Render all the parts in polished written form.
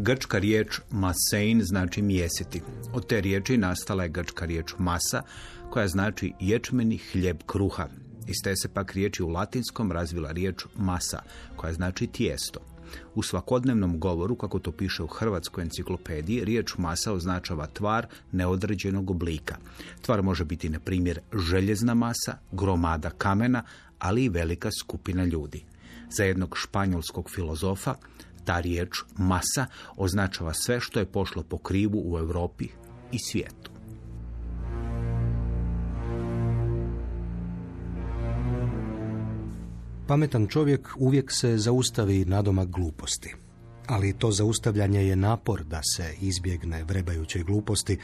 Grčka riječ masein znači mjesiti. Od te riječi nastala je grčka riječ masa, koja znači ječmeni hljeb kruha. Iz te se pak riječi u latinskom razvila riječ masa, koja znači tijesto. U svakodnevnom govoru, kako to piše u Hrvatskoj enciklopediji, riječ masa označava tvar neodređenog oblika. Tvar može biti, na primjer, željezna masa, gromada kamena, ali i velika skupina ljudi. Za jednog španjolskog filozofa ta riječ masa označava sve što je pošlo po krivu u Europi i svijetu. Pametan čovjek uvijek se zaustavi nadomak gluposti. Ali to zaustavljanje je napor da se izbjegne vrebajuće gluposti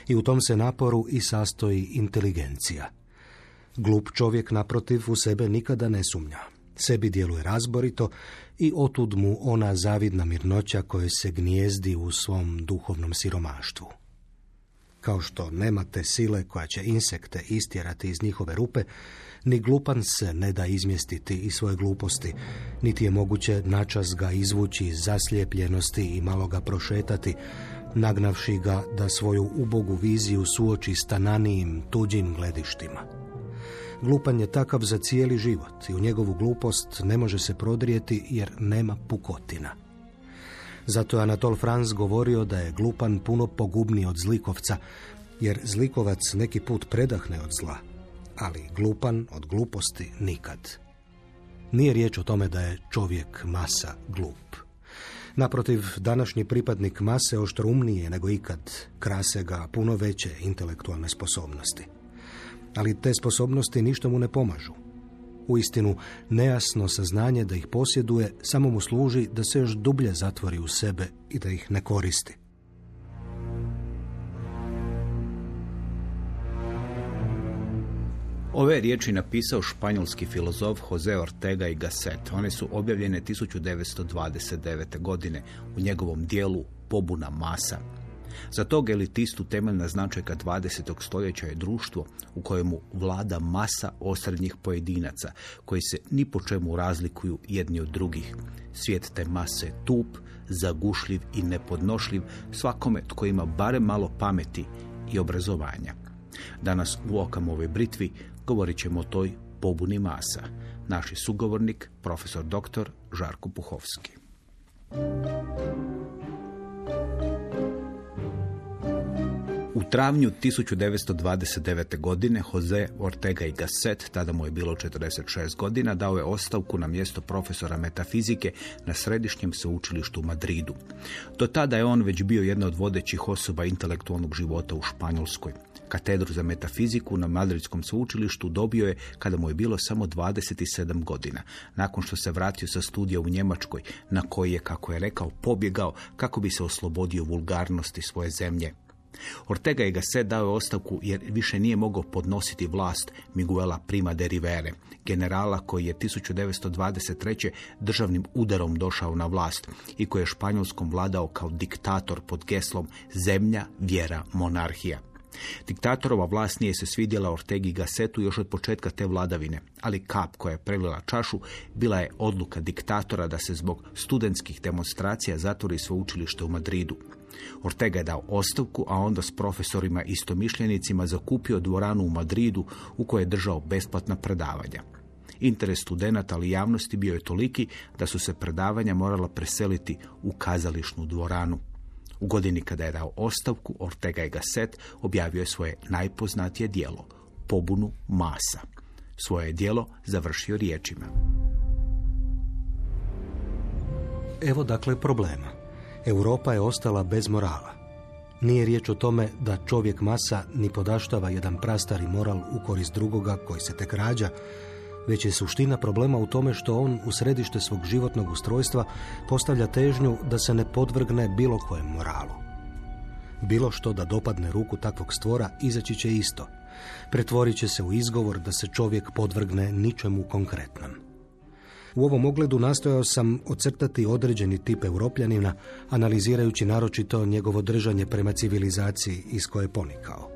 i u tom se naporu i sastoji inteligencija. Glup čovjek, naprotiv, u sebe nikada ne sumnja. Sebi djeluje razborito i otud mu ona zavidna mirnoća koja se gnijezdi u svom duhovnom siromaštvu. Kao što nemate sile koja će insekte istjerati iz njihove rupe, ni glupan se ne da izmjestiti iz svoje gluposti, niti je moguće načas ga izvući iz zaslijepljenosti i malo ga prošetati, nagnavši ga da svoju ubogu viziju suoči s tananijim, tuđim gledištima. Glupan je takav za cijeli život i u njegovu glupost ne može se prodrijeti jer nema pukotina. Zato je Anatole France govorio da je glupan puno pogubniji od zlikovca, jer zlikovac neki put predahne od zla, ali glupan od gluposti nikad. Nije riječ o tome da je čovjek masa glup. Naprotiv, današnji pripadnik mase oštroumnije nego ikad, krase ga puno veće intelektualne sposobnosti. Ali te sposobnosti ništa mu ne pomažu. Uistinu, nejasno saznanje da ih posjeduje samo mu služi da se još dublje zatvori u sebe i da ih ne koristi. Ove riječi napisao španjolski filozof José Ortega y Gasset. One su objavljene 1929. godine u njegovom dijelu Pobuna masa. Za tog elitistu temeljna značajka 20. stoljeća je društvo u kojemu vlada masa osrednjih pojedinaca, koji se ni po čemu razlikuju jedni od drugih. Svijet te mase je tup, zagušljiv i nepodnošljiv svakome tko ima barem malo pameti i obrazovanja. Danas u Okamove britvi govorit ćemo o toj pobuni masa. Naš je sugovornik, profesor dr. Žarko Puhovski. U travnju 1929. godine José Ortega y Gasset, tada mu je bilo 46 godina, dao je ostavku na mjesto profesora metafizike na Središnjem sveučilištu u Madridu. Do tada je on već bio jedna od vodećih osoba intelektualnog života u Španjolskoj. Katedru za metafiziku na Madridskom sveučilištu dobio je kada mu je bilo samo 27 godina, nakon što se vratio sa studija u Njemačkoj, na koji je, kako je rekao, pobjegao kako bi se oslobodio vulgarnosti svoje zemlje. Ortega y Gasset dao je ostavku jer više nije mogao podnositi vlast Miguela Prima de Rivere, generala koji je 1923. državnim udarom došao na vlast i koji je Španjolskom vladao kao diktator pod geslom zemlja, vjera, monarhija. Diktatorova vlast nije se svidjela Ortegi y Gassetu još od početka te vladavine, ali kap koja je prelila čašu bila je odluka diktatora da se zbog studentskih demonstracija zatvori sveučilište u Madridu. Ortega je dao ostavku, a onda s profesorima istomišljenicima zakupio dvoranu u Madridu u kojoj je držao besplatna predavanja. Interes studenata ali javnosti bio je toliki da su se predavanja morala preseliti u kazališnu dvoranu. U godini kada je dao ostavku, Ortega y Gasset objavio je svoje najpoznatije djelo, Pobunu masa. Svoje djelo završio riječima: Evo dakle problema. Europa je ostala bez morala. Nije riječ o tome da čovjek masa ni podaštava jedan prastari moral u korist drugoga koji se tek rađa, već je suština problema u tome što on u središte svog životnog ustrojstva postavlja težnju da se ne podvrgne bilo kojem moralu. Bilo što da dopadne ruku takvog stvora izaći će isto. Pretvorit će se u izgovor da se čovjek podvrgne ničemu konkretnom. U ovom ogledu nastojao sam ocrtati određeni tip Europljanina, analizirajući naročito njegovo držanje prema civilizaciji iz koje je ponikao.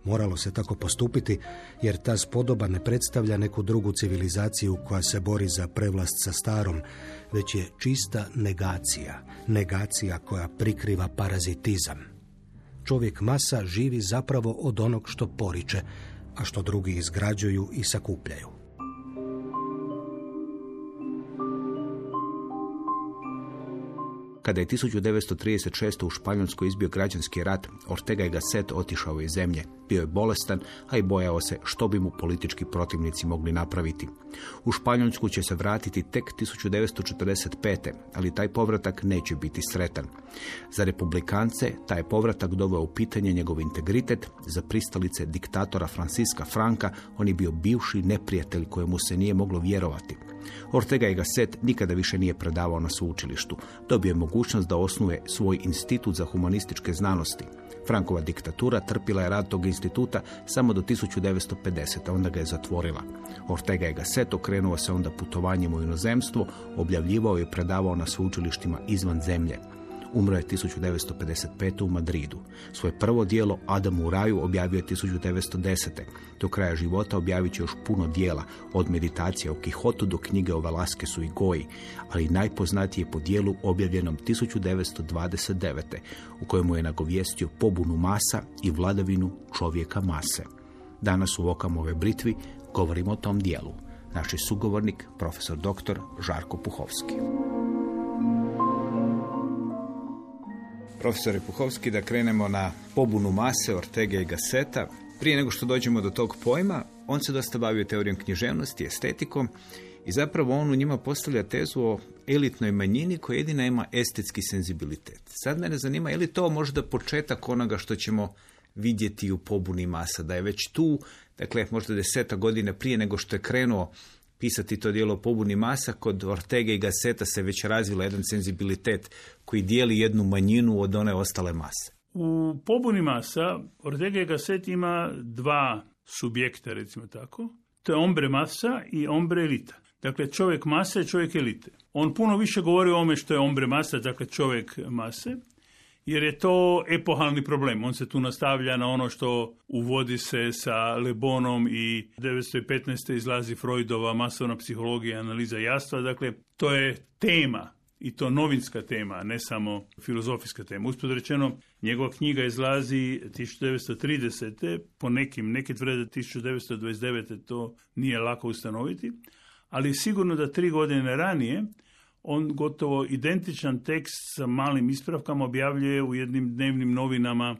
Moralo se tako postupiti jer ta spodoba ne predstavlja neku drugu civilizaciju koja se bori za prevlast sa starom, već je čista negacija, negacija koja prikriva parazitizam. Čovjek masa živi zapravo od onog što poriče, a što drugi izgrađuju i sakupljaju. Kada je 1936. u Španjolskoj izbio građanski rat, Ortega y Gasset otišao iz zemlje. Bio je bolestan, a i bojao se što bi mu politički protivnici mogli napraviti. U Španjolsku će se vratiti tek 1945. ali taj povratak neće biti sretan. Za republikance taj povratak doveo u pitanje njegov integritet, za pristalice diktatora Francisca Franca on je bio bivši neprijatelj kojemu se nije moglo vjerovati. Ortega y Gasset nikada više nije predavao na sveučilištu. Dobio je mogućnost da osnuje svoj institut za humanističke znanosti. Frankova diktatura trpila je rad tog instituta samo do 1950. onda ga je zatvorila. Ortega y Gasset okrenuo se onda putovanjem u inozemstvo, objavljivao i predavao na sveučilištima izvan zemlje. Umro je 1955. u Madridu. Svoje prvo djelo Adam u raju objavio je 1910. Do kraja života objavit će još puno djela, od meditacije o Kihotu do knjige o Velasquezu i Goji, ali najpoznatije po djelu objavljenom 1929. u kojemu je nagovijestio pobunu masa i vladavinu čovjeka mase. Danas u Okamove britvi govorimo o tom djelu. Naš je sugovornik, profesor dr. Žarko Puhovski. Profesore Puhovski, da krenemo na pobunu mase Ortega y Gasseta. Prije nego što dođemo do tog pojma, on se dosta bavio teorijom književnosti, estetikom i zapravo on u njima postavlja tezu o elitnoj manjini koja jedina ima estetski senzibilitet. Sad mene zanima, je li to možda početak onoga što ćemo vidjeti u pobuni masa, da je već tu, dakle možda 10 godina prije nego što je krenuo pisati to djelo o pobuni masa, kod Ortega y Gasseta se već razvila jedan senzibilitet koji dijeli jednu manjinu od one ostale mase. U pobuni masa Ortega y Gasset ima dva subjekta, recimo tako. To je ombre masa i ombre elita. Dakle, čovjek mase i čovjek elite. On puno više govori o ome što je ombre masa, dakle čovjek mase, jer je to epohalni problem. On se tu nastavlja na ono što uvodi se sa Le Bonom i 1915. izlazi Freudova masovna psihologija, analiza jastva. Dakle, to je tema i to novinska tema, ne samo filozofijska tema. Usput rečeno, njegova knjiga izlazi 1930. po neki tvrde 1929. to nije lako ustanoviti, ali sigurno da 3 godine ranije on gotovo identičan tekst sa malim ispravkama objavljuje u jednim dnevnim novinama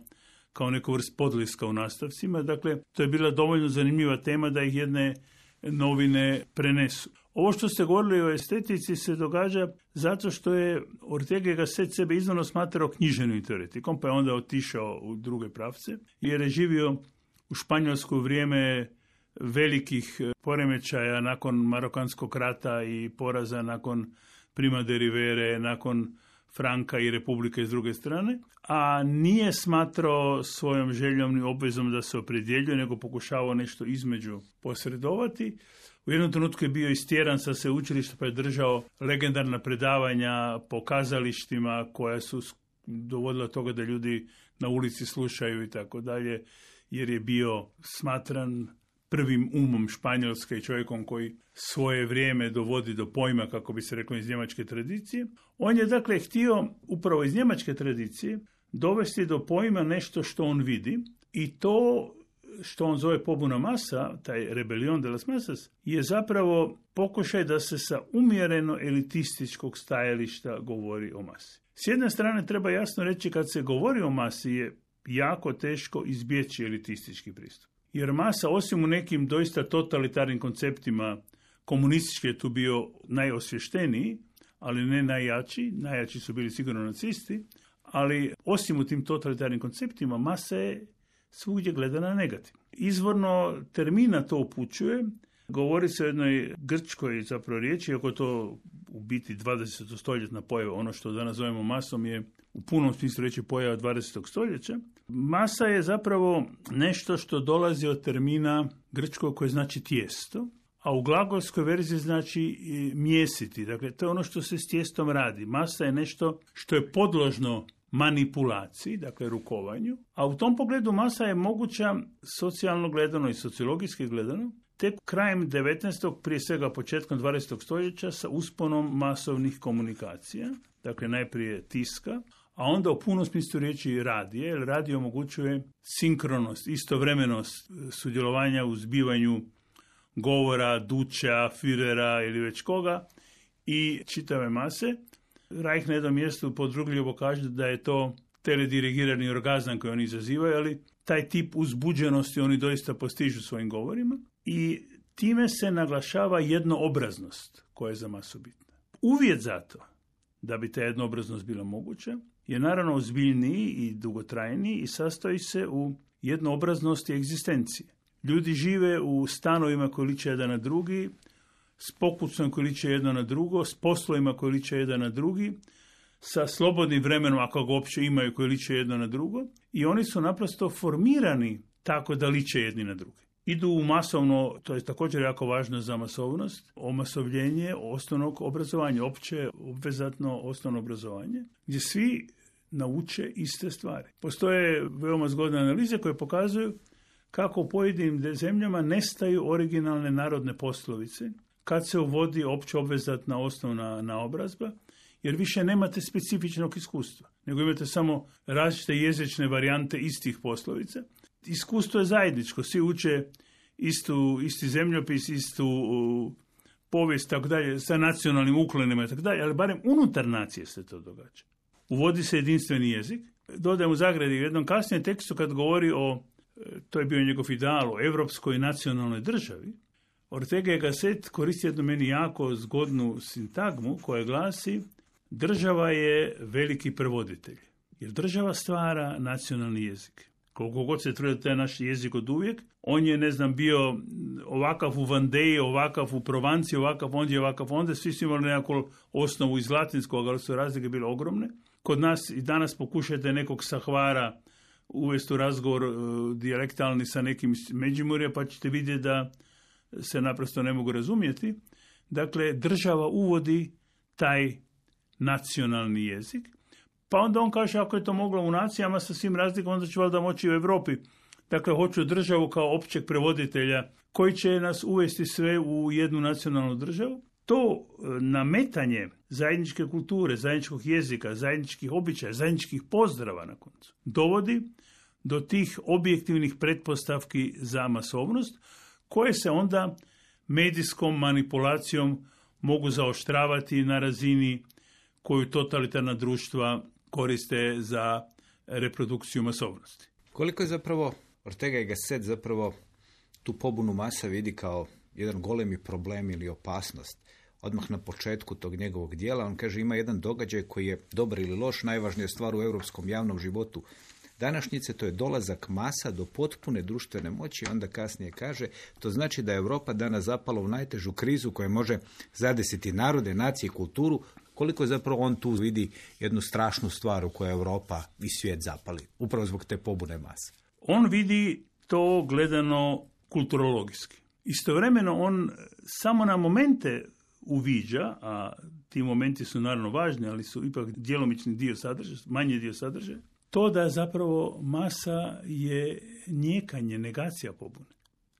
kao neku vrst podliska u nastavcima. Dakle, to je bila dovoljno zanimljiva tema da ih jedne novine prenesu. Ovo što ste govorili o estetici se događa zato što je Ortega y Gasset sebe izvorno smatrao književnim teoretikom, pa je onda otišao u druge pravce, jer je živio u Španjolsku u vrijeme velikih poremećaja nakon Marokanskog rata i poraza nakon Prima de Rivere, nakon Franka i Republike s druge strane, a nije smatrao svojom željom ni obvezom da se opredjeljuje, nego pokušavao nešto između posredovati. U jednom trenutku je bio istjeran sa sveučilišta pa je držao legendarna predavanja po kazalištima koja su dovodila toga da ljudi na ulici slušaju i tako dalje, jer je bio smatran prvim umom Španjolske i čovjekom koji svoje vrijeme dovodi do pojma, kako bi se reklo, iz njemačke tradicije. On je dakle htio upravo iz njemačke tradicije dovesti do pojma nešto što on vidi i to što on zove pobuna masa, taj rebelion de las masas, je zapravo pokušaj da se sa umjereno elitističkog stajališta govori o masi. S jedne strane treba jasno reći, kad se govori o masi je jako teško izbjeći elitistički pristup. Jer masa, osim u nekim doista totalitarnim konceptima, komunistički je tu bio najosvješteniji, ali ne najjači. Najjači su bili sigurno nacisti, ali osim u tim totalitarnim konceptima, masa je svugdje gledana negativno. Izvorno termina to upućuje. Govori se o jednoj grčkoj zapravo riječi, iako to u biti 20. stoljetna pojava. Ono što danas zovemo masom je u punom smislu reći pojava 20. stoljeća. Masa je zapravo nešto što dolazi od termina grčkog koji znači tijesto, a u glagolskoj verziji znači mjesiti. Dakle, to je ono što se s tijestom radi. Masa je nešto što je podložno manipulaciji, dakle rukovanju, a u tom pogledu masa je moguća socijalno gledano i sociologijski gledano, tek krajem 19. prije svega početkom 20. stoljeća sa usponom masovnih komunikacija, dakle najprije tiska, a onda u punom smislu riječi radije, jer radio omogućuje sinkronost, istovremenost sudjelovanja u zbivanju govora, Duća, Führera ili već koga i čitave mase. Reich na jednom mjestu podrugljivo kaže da je to teledirigirani orgazam koji oni izazivaju, ali taj tip uzbuđenosti oni doista postižu svojim govorima i time se naglašava jednoobraznost koja je za masu bitna. Uvjet za to da bi ta jednoobraznost bila moguća je naravno ozbiljniji i dugotrajniji i sastoji se u jednoobraznosti egzistencije. Ljudi žive u stanovima koji liče jedan na drugi, s pokucom koji liče jedno na drugo, s poslovima koji liče jedan na drugi, sa slobodnim vremenom, ako ga uopće imaju, koji liče jedno na drugo, i oni su naprosto formirani tako da liče jedni na drugi. Idu u masovno, to je također jako važno za masovnost, omasovljenje osnovnog obrazovanja, opće obvezatno osnovno obrazovanje, gdje svi nauče iste stvari. Postoje veoma zgodne analize koje pokazuju kako u pojedinim zemljama nestaju originalne narodne poslovice kad se uvodi opće obvezatna osnovna naobrazba, jer više nemate specifičnog iskustva, nego imate samo različite jezične varijante istih poslovica. Iskustvo je zajedničko, svi uče isti zemljopis, istu povijest, tako dalje, sa nacionalnim uklonima, tako dalje, ali barem unutar nacije se to događa. Uvodi se jedinstveni jezik. Dodajem u zagradi u jednom kasnijem tekstu kad govori o, to je bio njegov ideal, o evropskoj nacionalnoj državi, Ortega y Gasset koristi jednu meni jako zgodnu sintagmu koja glasi: država je veliki prevoditelj, jer država stvara nacionalni jezik. Koliko god se trudi taj naš jezik od uvijek, on je, bio ovakav u Vandeji, ovakav u Provanciji, ovakav onda, svi su imali nekakvu osnovu iz latinskog, ali su razlike bile ogromne. Kod nas i danas pokušajte nekog sa Hvara uvesti u razgovor dijalektalni sa nekim iz Međimurja, pa ćete vidjeti da se naprosto ne mogu razumjeti. Dakle, država uvodi taj nacionalni jezik, pa onda on kaže, ako je to moglo u nacijama sa svim razlikama, onda će valjda moći u Europi. Dakle, hoću državu kao općeg prevoditelja koji će nas uvesti sve u jednu nacionalnu državu. To nametanje zajedničke kulture, zajedničkog jezika, zajedničkih običaja, zajedničkih pozdrava na koncu dovodi do tih objektivnih pretpostavki za masovnost, koje se onda medijskom manipulacijom mogu zaoštravati na razini koju totalitarna društva koriste za reprodukciju masovnosti. Koliko je zapravo Ortega y Gasset zapravo tu pobunu masa vidi kao jedan golemi problem ili opasnost? Odmah na početku tog njegovog dijela on kaže, ima jedan događaj koji je dobar ili loš, najvažnija stvar u europskom javnom životu današnjice, to je dolazak masa do potpune društvene moći. Onda kasnije kaže, to znači da je Europa danas zapala u najtežu krizu koja može zadesiti narode, nacije i kulturu. Koliko je zapravo on tu vidi jednu strašnu stvar u kojoj Europa i svijet zapali, upravo zbog te pobune masa? On vidi to gledano kulturologijski. Istovremeno on samo na momente uviđa, a ti momenti su naravno važni, ali su ipak djelomični dio sadržaja, manji dio sadržaja, to da zapravo masa je njekanje, negacija pobune.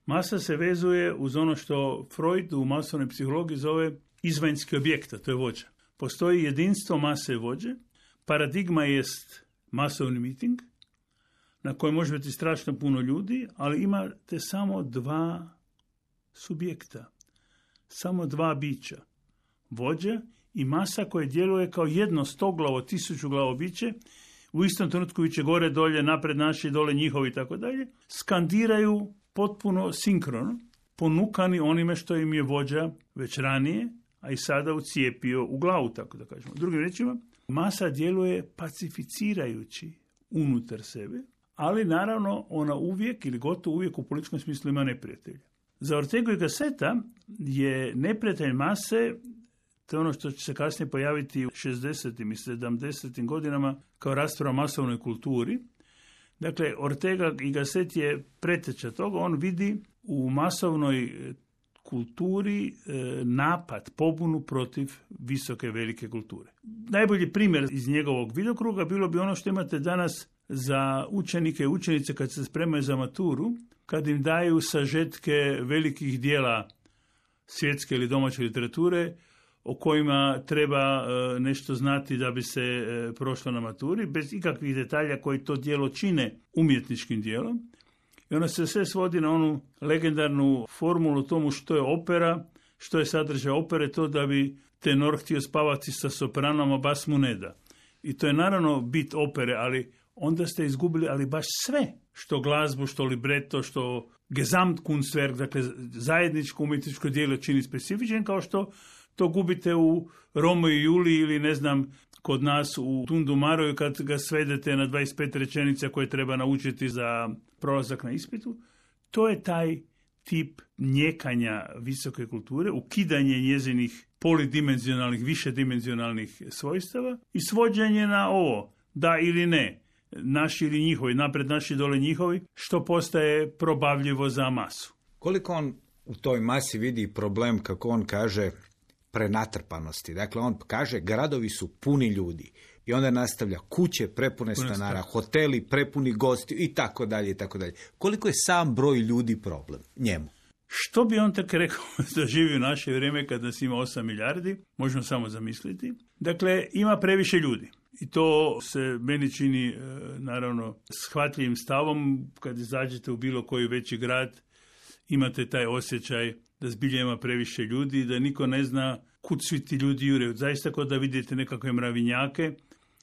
Masa se vezuje uz ono što Freud u masovnoj psihologiji zove izvanjski objekt, to je vođa. Postoji jedinstvo mase vođe, paradigma jest masovni miting, na kojem može biti strašno puno ljudi, ali imate samo dva subjekta, samo dva bića, vođa i masa koje djeluje kao jedno 100-glavo, 1000-glavo biće, u istom trenutku biće gore, dolje, napred naši, dole njihovi i tako dalje, skandiraju potpuno sinkrono, ponukani onime što im je vođa već ranije, a i sada ucijepio u glavu, tako da kažemo. Drugim rečima, masa djeluje pacificirajući unutar sebe, ali naravno ona uvijek ili gotovo uvijek u političkom smislu ima neprijatelja. Za Ortegu y Gasseta je neprijatelj mase, to je ono što će se kasnije pojaviti u 60. i 70. godinama kao rasprava o masovnoj kulturi. Dakle, Ortega y Gasset je preteča toga, on vidi u masovnoj kulturi napad, pobunu protiv visoke, velike kulture. Najbolji primjer iz njegovog vidokruga bilo bi ono što imate danas za učenike i učenice kad se spremaju za maturu, kad im daju sažetke velikih dijela svjetske ili domaće literature o kojima treba nešto znati da bi se prošlo na maturi, bez ikakvih detalja koji to djelo čine umjetničkim djelom. I ono se sve svodi na onu legendarnu formulu tomu što je opera, što je sadržaj opere, to da bi tenor htio spavati sa sopranom, a bas mu ne da. I to je naravno bit opere, ali onda ste izgubili ali baš sve, što glazbu, što libreto, što Gesamtkunstwerk, dakle zajedničko umjetničko djelo čini specifičan, kao što to gubite u Romeo i Juliji ili ne znam kod nas u Tundu Maroju kad ga svedete na 25 rečenica koje treba naučiti za prolazak na ispitu. To je taj tip njekanja visoke kulture, ukidanje njezinih polidimenzionalnih, višedimenzionalnih svojstava i svođenje na ovo, da ili ne, naši ili njihovi, napred naši, dole njihovi, što postaje probavljivo za masu. Koliko on u toj masi vidi problem, kako on kaže, prenatrpanosti? Dakle, on kaže gradovi su puni ljudi i onda nastavlja kuće prepune stanara, hoteli prepuni gosti i tako dalje i tako dalje. Koliko je sam broj ljudi problem njemu? Što bi on tako rekao da živi u naše vrijeme kad nas ima 8 milijardi, možemo samo zamisliti. Dakle, ima previše ljudi. I to se meni čini, naravno, shvatljivim stavom. Kad izađete u bilo koji veći grad, imate taj osjećaj da zbilja ima previše ljudi, da niko ne zna kud svi ti ljudi jure. Zaista kod da vidite nekakve mravinjake,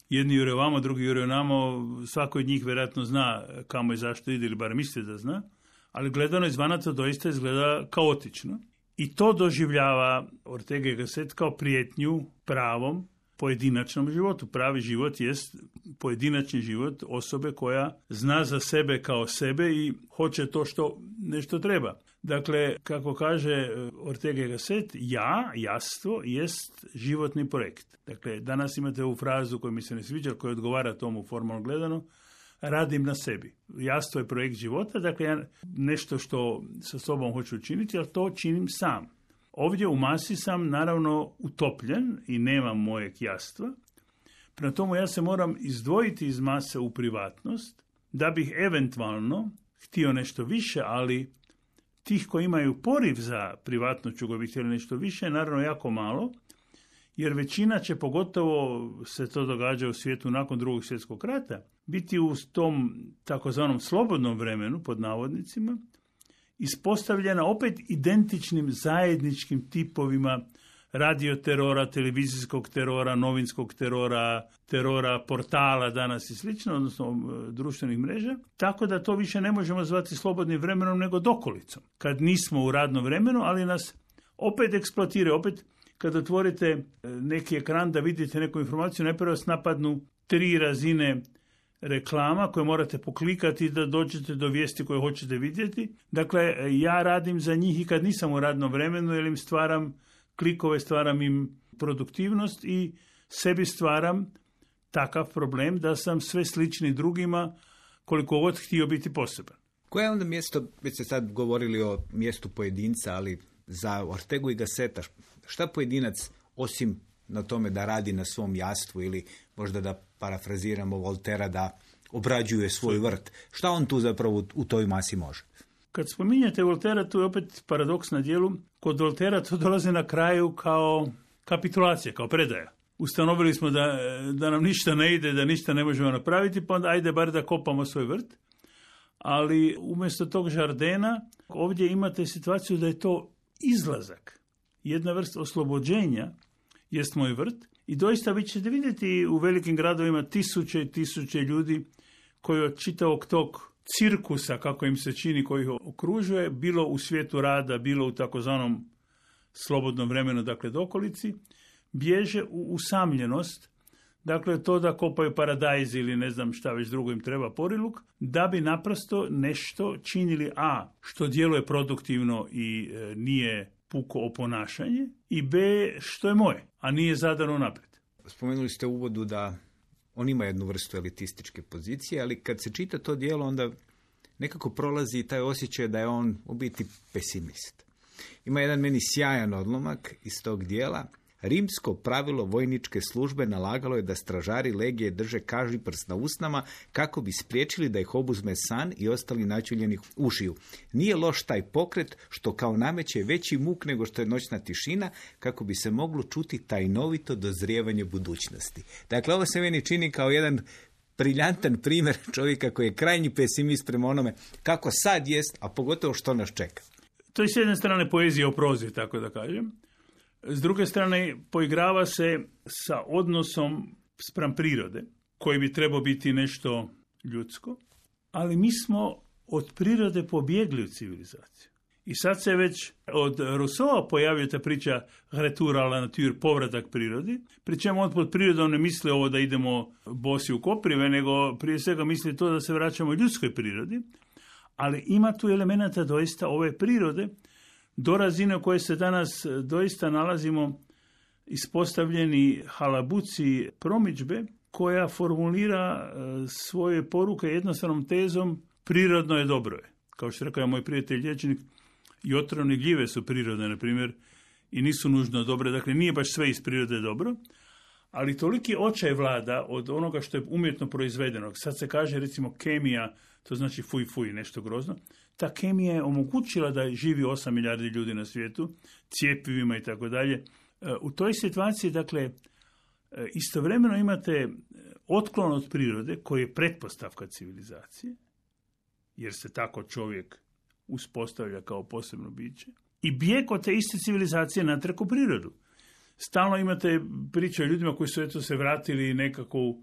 jedni jure vamo, drugi jure namo, svako od njih vjerojatno zna kamo i zašto ide, ili bar misli da zna, ali gledano izvana to doista izgleda kaotično. I to doživljava Ortega y Gasset kao prijetnju pravom pojedinačnom životu. Pravi život jest pojedinačni život osobe koja zna za sebe kao sebe i hoće to što nešto treba. Dakle, kako kaže Ortega y Gasset, jastvo jest životni projekt. Dakle, danas imate ovu frazu koja mi se ne sviđa, koja odgovara tomu formalno gledano, radim na sebi. Jastvo je projekt života, dakle, ja nešto što sa sobom hoću učiniti, ali to činim sam. Ovdje u masi sam naravno utopljen i nemam mojeg jastva. Prema tomu ja se moram izdvojiti iz mase u privatnost, da bih eventualno htio nešto više, ali tih koji imaju poriv za privatnošću koji bi htjeli nešto više, naravno jako malo, jer većina će, pogotovo se to događa u svijetu nakon Drugog svjetskog rata, biti u tom takozvanom slobodnom vremenu, pod navodnicima, ispostavljena opet identičnim zajedničkim tipovima radioterora, televizijskog terora, novinskog terora, terora portala danas i slično, odnosno društvenih mreža, tako da to više ne možemo zvati slobodnim vremenom nego dokolicom. Kad nismo u radnom vremenu, ali nas opet eksploatira, opet kad otvorite neki ekran da vidite neku informaciju, najprije vas napadnu 3 razine reklama koje morate poklikati da dođete do vijesti koje hoćete vidjeti. Dakle, ja radim za njih i kad nisam u radnom vremenu, jer im stvaram klikove, stvaram im produktivnost i sebi stvaram takav problem da sam sve slični drugima koliko god htio biti poseban. Koje je onda mjesto, već ste sad govorili o mjestu pojedinca, ali za Ortegu y Gasseta, šta pojedinac, osim na tome da radi na svom jastvu ili možda da parafraziramo Voltera da obrađuje svoj vrt, šta on tu zapravo u toj masi može? Kad spominjete Voltera, tu je opet paradoks na dijelu. Kod Voltera to dolazi na kraju kao kapitulacija, kao predaja. Ustanovili smo da nam ništa ne ide, da ništa ne možemo napraviti, pa onda ajde bar da kopamo svoj vrt. Ali umjesto tog žardena, ovdje imate situaciju da je to izlazak. Jedna vrst oslobođenja jest moj vrt. I doista vi ćete vidjeti u velikim gradovima tisuće i tisuće ljudi koji od čitavog tog cirkusa, kako im se čini, koji ih okružuje, bilo u svijetu rada, bilo u takozvanom slobodnom vremenu, dakle dokolici, bježe u usamljenost, dakle to da kopaju paradajz ili ne znam šta već drugo im treba poriluk, da bi naprosto nešto činili, a što djeluje produktivno i nije puko oponašanje, i b, što je moje, a nije zadano naprijed. Spomenuli ste u uvodu da on ima jednu vrstu elitističke pozicije, ali kad se čita to djelo, onda nekako prolazi taj osjećaj da je on u biti pesimist. Ima jedan meni sjajan odlomak iz tog dijela. Rimsko pravilo vojničke službe nalagalo je da stražari legije drže kažiprst na usnama kako bi spriječili da ih obuzme san i ostali načuljenih ušiju. Nije loš taj pokret što kao nameće veći muk nego što je noćna tišina kako bi se moglo čuti tajnovito dozrijevanje budućnosti. Dakle, ovo se meni čini kao jedan briljantan primjer čovjeka koji je krajnji pesimist prema onome kako sad jest, a pogotovo što nas čeka. To je s jedne strane poezija o prozi, tako da kažem. S druge strane, poigrava se sa odnosom spram prirode, koji bi trebao biti nešto ljudsko, ali mi smo od prirode pobjegli u civilizaciju. I sad se već od Rousseau pojavio ta priča retour à la nature, povratak prirodi, pri čemu on pod prirodom ne misli ovo da idemo bosi u koprive, nego prije svega misli to da se vraćamo ljudskoj prirodi, ali ima tu elemenata doista ove prirode, do razine u kojoj se danas doista nalazimo ispostavljeni halabuci promidžbe koja formulira svoje poruke jednostavnom tezom prirodno je dobro je. Kao što rekao moj prijatelj liječnik, i otrovne gljive su prirodne, na primjer, i nisu nužno dobre. Dakle, nije baš sve iz prirode dobro, ali toliki očaj vlada od onoga što je umjetno proizvedeno. Sad se kaže, recimo, kemija, to znači fuj, nešto grozno. Ta kemija je omogućila da živi 8 milijardi ljudi na svijetu, cjepivima i tako dalje. U toj situaciji, dakle, istovremeno imate otklon od prirode koji je pretpostavka civilizacije, jer se tako čovjek uspostavlja kao posebno biće, i bijeg od te iste civilizacije natrag u prirodu. Stalno imate priče o ljudima koji su eto se vratili nekako u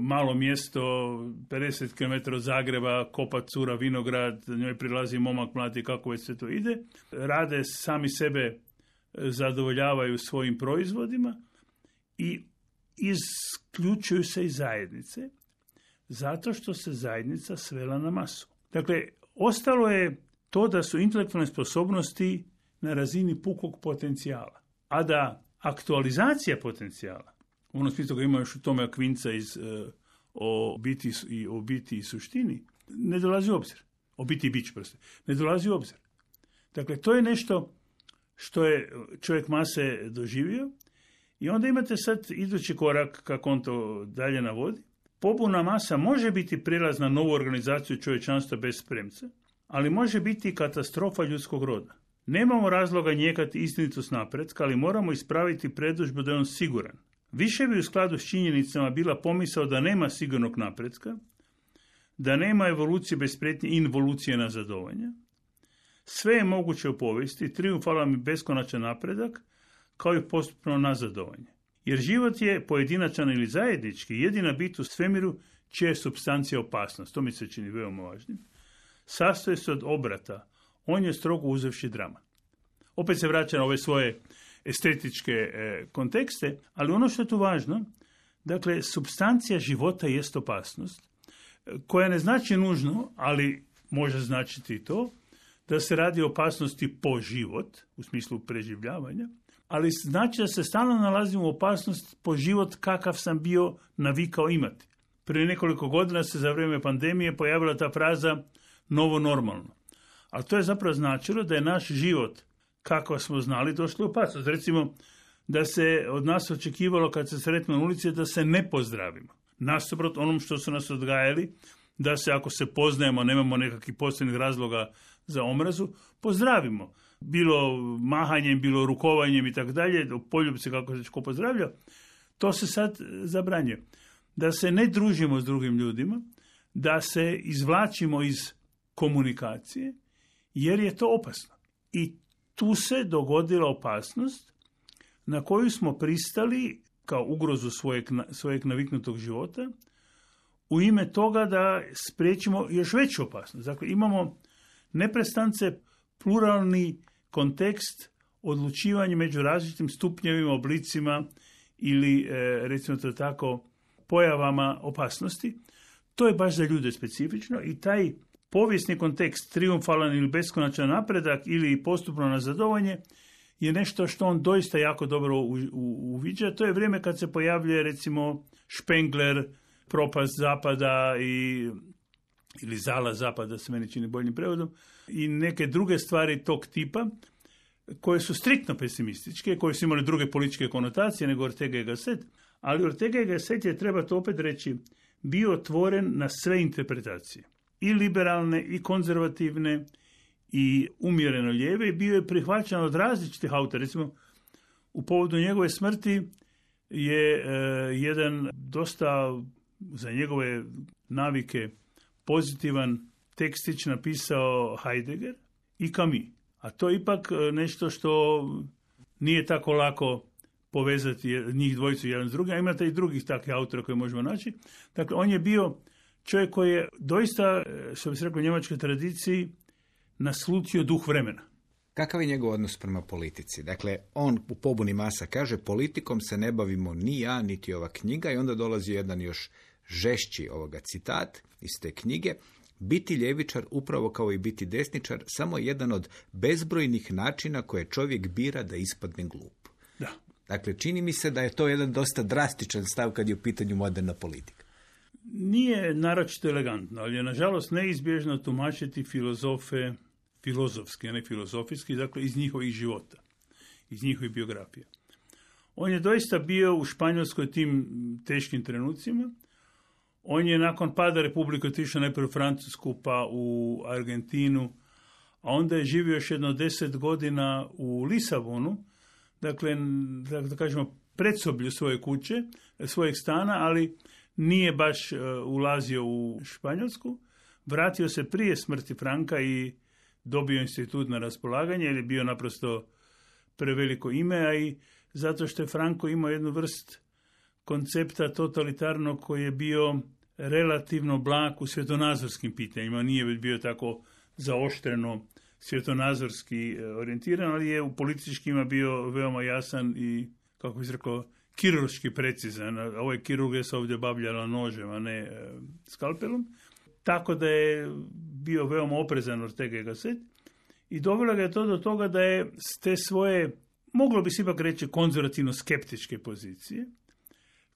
malo mjesto, 50 km od Zagreba, kopa cura vinograd, njoj prilazi momak mladi, kako već se to ide. Rade sami sebe, zadovoljavaju svojim proizvodima i isključuju se iz zajednice, zato što se zajednica svela na masu. Dakle, ostalo je to da su intelektualne sposobnosti na razini pukog potencijala, a da aktualizacija potencijala, u onom smislu ga ima još u tome Akvinca iz o biti i suštini, ne dolazi u obzir. O biti i bić, ne dolazi u obzir. Dakle, to je nešto što je čovjek mase doživio i onda imate sad idući korak, kako on to dalje navodi. Pobuna masa može biti prilaz na novu organizaciju čovječanstva bez spremca, ali može biti i katastrofa ljudskog roda. Nemamo razloga njekati istinitost napretka, ali moramo ispraviti predodžbu da je on siguran. Više bi u skladu s činjenicama bila pomisao da nema sigurnog napretka, da nema evolucije bez prijetnje i involucije nazadovanja. Sve je moguće u povijesti, trijumfalan i beskonačan napredak, kao i postupno nazadovanje. Jer život je pojedinačan ili zajednički, jedina bit u svemiru čija je supstancija opasnost. To mi se čini veoma važnim. Sastoji se od obrata. On je strogo uzevši drama. Opet se vraća na ove svoje estetičke kontekste, ali ono što je tu važno, dakle, supstancija života jest opasnost, koja ne znači nužno, ali može značiti i to, da se radi o opasnosti po život, u smislu preživljavanja, ali znači da se stalno nalazimo u opasnost po život kakav sam bio navikao imati. Prije nekoliko godina se za vrijeme pandemije pojavila ta fraza novo normalno. Ali to je zapravo značilo da je naš život, kako smo znali, došli u opasnost. Recimo, da se od nas očekivalo kad se sretno na ulici da se ne pozdravimo. Nasuprot onom što su nas odgajali, da se ako se poznajemo, nemamo nekakvih posebnih razloga za omrazu, pozdravimo. Bilo mahanjem, bilo rukovanjem i tako dalje, u poljubci kako se ko pozdravlja, to se sad zabranjuje. Da se ne družimo s drugim ljudima, da se izvlačimo iz komunikacije, jer je to opasno. I tu se dogodila opasnost na koju smo pristali kao ugrozu svojeg naviknutog života u ime toga da spriječimo još veću opasnost. Dakle, imamo neprestance pluralni kontekst odlučivanja među različitim stupnjevima, oblicima ili, recimo to tako, pojavama opasnosti. To je baš za ljude specifično i taj povijesni kontekst, trijumfalan ili beskonačan napredak ili postupno nazadovanje je nešto što on doista jako dobro uviđa. To je vrijeme kad se pojavljuje, recimo, Spengler, propast zapada ili zala zapada, se meni čini boljim prevodom, i neke druge stvari tog tipa, koje su striktno pesimističke, koje su imale druge političke konotacije nego Ortega y Gasset, ali Ortega y Gasset je, treba to opet reći, bio otvoren na sve interpretacije. I liberalne, i konzervativne, i umjereno lijeve, i bio je prihvaćan od različitih autora. Recimo, u povodu njegove smrti je jedan dosta za njegove navike pozitivan tekstić napisao Heidegger i Camus. A to je ipak nešto što nije tako lako povezati njih dvojicu jedan s drugim, a imate i drugih takvih autora koje možemo naći. Dakle, on je bio čovjek koji je doista, što bi se rekao u njemačkoj tradiciji, naslutio duh vremena. Kakav je njegov odnos prema politici? Dakle, on u Pobuni masa kaže, politikom se ne bavimo ni ja, niti ova knjiga, i onda dolazi jedan još žešći ovoga citat iz te knjige. Biti ljevičar, upravo kao i biti desničar, samo jedan od bezbrojnih načina koje čovjek bira da ispadne glup. Da. Dakle, čini mi se da je to jedan dosta drastičan stav kad je u pitanju moderna politika. Nije naročito elegantno, ali je nažalost neizbježno tumačiti filozofe filozofski, a ne filozofijski, dakle iz njihovih života, iz njihovih biografija. On je doista bio u Španjolskoj tim teškim trenucima. On je nakon pada Republike otišao najprije u Francusku, pa u Argentinu, a onda je živio još jedno 10 godina u Lisabonu, dakle, da kažemo, predsoblju svoje kuće, svojeg stana, ali nije baš ulazio u Španjolsku. Vratio se prije smrti Franka i dobio institut na raspolaganje, jer je bio naprosto preveliko ime, a i zato što je Franco imao jednu vrst koncepta totalitarnog koji je bio relativno blag u svjetonazorskim pitanjima. Nije bio tako zaoštreno svjetonazorski orijentiran, ali je u političkima bio veoma jasan i, kako bi se rekao, kirurški precizan. Ovo je kirurga se ovdje bavljala nožem, a ne skalpelom. Tako da je bio veoma oprezan Ortega y Gasset i dovelo ga je to do toga da je s te svoje, moglo bi se ipak reći, konzervativno-skeptičke pozicije,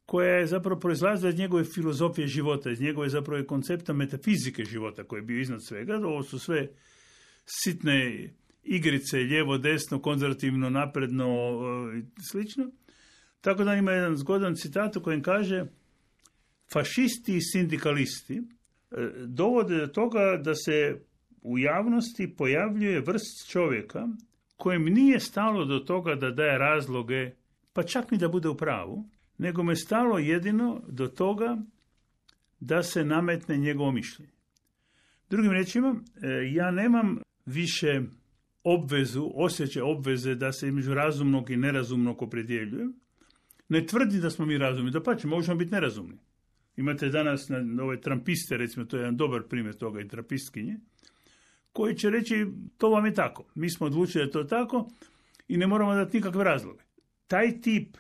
koja je zapravo proizlazila iz njegove filozofije života, iz njegove zapravo koncepta metafizike života koji je bio iznad svega. Ovo su sve sitne igrice, lijevo, desno, konzervativno, napredno i slično. Tako da ima jedan zgodan citat u kojem kaže: fašisti i sindikalisti dovode do toga da se u javnosti pojavljuje vrst čovjeka kojem nije stalo do toga da daje razloge, pa čak ni da bude u pravu, nego me stalo jedino do toga da se nametne njegovo mišljenje. Drugim riječima, ja nemam više osjećaj obveze da se između razumnog i nerazumnog opredjeljujem. Ne tvrdi da smo mi razumni, dapače, možemo biti nerazumni. Imate danas ove trampiste, recimo, to je jedan dobar primjer toga, i trampistkinje, koji će reći, to vam je tako. Mi smo odlučili da je to tako i ne moramo dati nikakve razloge. Taj tip,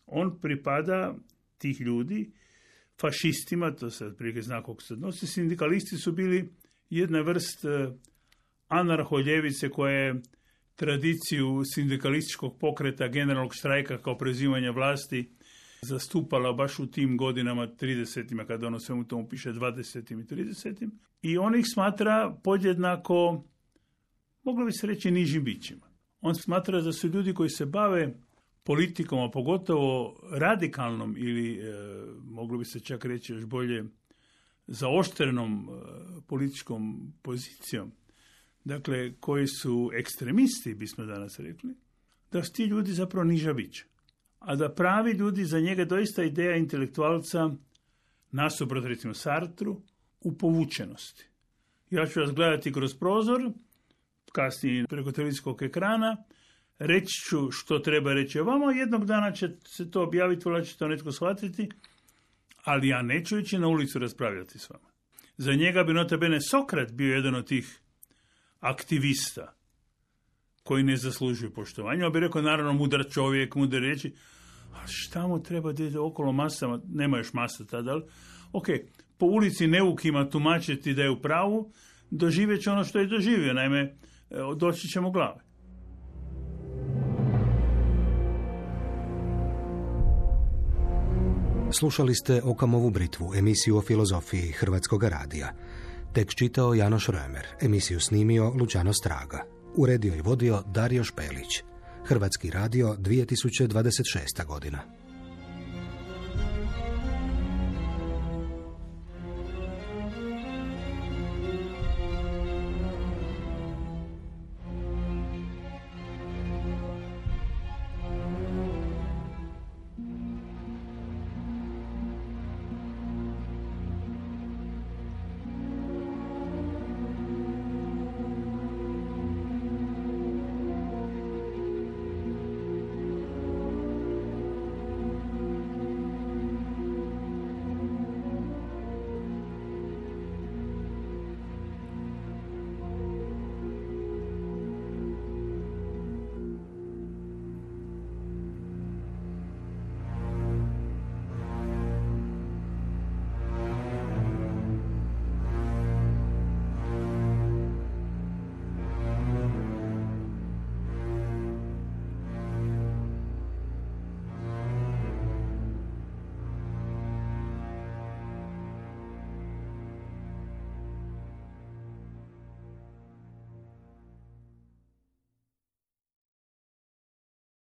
on pripada tih ljudi fašistima, to se otprilike zna kako se odnosi. Sindikalisti su bili jedna vrst anarholjevice koja je tradiciju sindikalističkog pokreta, generalnog štrajka kao preuzimanja vlasti zastupala baš u tim godinama 30-ima, kada ono svemu tomu piše 20-im i 30-im. I on ih smatra podjednako, moglo bi se reći, nižim bićima. On smatra da su ljudi koji se bave politikom, a pogotovo radikalnom ili, moglo bi se čak reći još bolje, zaoštrenom političkom pozicijom, dakle, koji su ekstremisti, bismo danas rekli, da su ti ljudi zapravo niža bića. A da pravi ljudi, za njega doista ideja intelektualca, nasuprot recimo Sartru, u povučenosti. Ja ću vas gledati kroz prozor, kasnije preko televizijskog ekrana, reći ću što treba reći o vama, jednog dana će se to objaviti, voljela će to netko shvatiti, ali ja neću ići na ulicu raspravljati s vama. Za njega bi nota bene Sokrat bio jedan od tih aktivista koji ne zaslužuju poštovanja. On bi rekao, naravno, mudar čovjek, mudar reći, a šta mu treba da ide okolo masama, nema još masa tada, ali ok, po ulici neukima tumačiti da je u pravu, doživjet će ono što je doživio, naime, doći ćemo glave. Slušali ste Okamovu britvu, emisiju o filozofiji Hrvatskog radija. Tekst čitao Janoš Römer, emisiju snimio Luciano Straga. Uredio i vodio Dario Špelić. Hrvatski radio, 2026. godina.